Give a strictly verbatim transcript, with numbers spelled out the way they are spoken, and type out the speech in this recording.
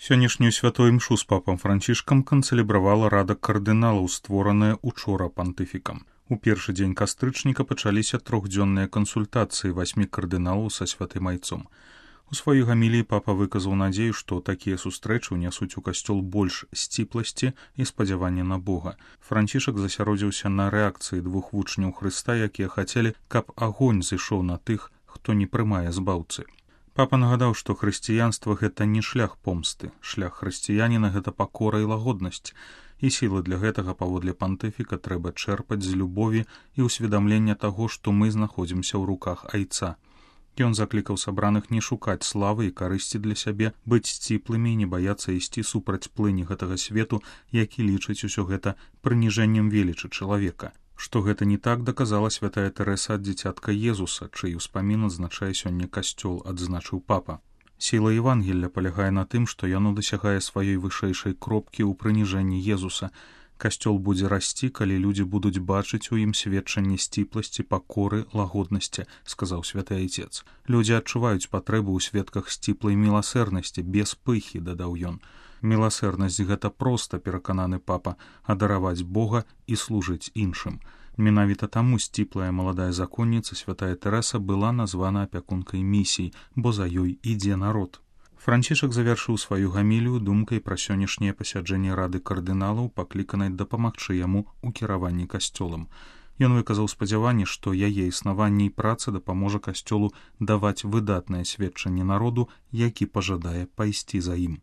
Сённяшнюю святую імшу з папам Францішкам канцэлебравала рада кардыналаў, створаная учора пантыфікам. У першы дзень кастрычніка пачаліся трохдзённыя кансультацыі васьмі кардыналаў са святым айцом. У сваёй гаміліі папа выказаў надзею, што такія сустрэчы ўнясуць у касцёл больш сціпласці і спадзявання на Бога. Францішак засяродзіўся на рэакцыі двух вучняў Хрыста, якія хацелі, каб агонь зышоў на тых, хто не прымае збаўцы. Папа нагадаў, што хрысціянства — гэта не шлях помсты, шлях хрысціяніна — гэта пакора і лагоднасць, і сілы для гэтага, паводле пантыфіка, трэба чэрпаць з любові і ўсведамлення таго, што мы знаходзімся ў руках айца. Ён заклікаў сабраных не шукаць славы і карысці для сябе, быць сціплымі і не баяцца ісці супраць плыні гэтага свету, які лічыць усё гэта прыніжэннем велічы чалавека. Што гэта не так, даказала святая Тэрэса ад дзіцятка Езуса, чый успамін адзначае сёння касцёл, адзначыў папа. Сіла Евангелля палягае на тым, што яно дасягае сваёй вышэйшай кропкі ў прыніжэнні Езуса. Касцёл будзе расці, калі людзі будуць бачыць у ім сведчанне сціпласці, пакоры, лагоднасці, сказаў святы айцец. Людзі адчуваюць патрэбу ў сведках сціплай міласэрнасці, без пыхі, дадаў ён. Міласэрнасць — гэта проста, перакананы папа, адараваць Бога і служыць іншым. Менавіта таму сціплая маладая законніца святая Тэрэса была названа апякункай місій, бо за ёй ідзе народ. Францішак завяршыў сваю гамілію думкай пра сённяшняе пасяджэнне рады кардыналаў, пакліканай дапамагчы яму ў кіраванні касцёлам. Ён выказаў спадзяванне, што яе існаванне і праца дапаможа касцёлу даваць выдатнае сведчанне народу, які пажадае пайсці за ім.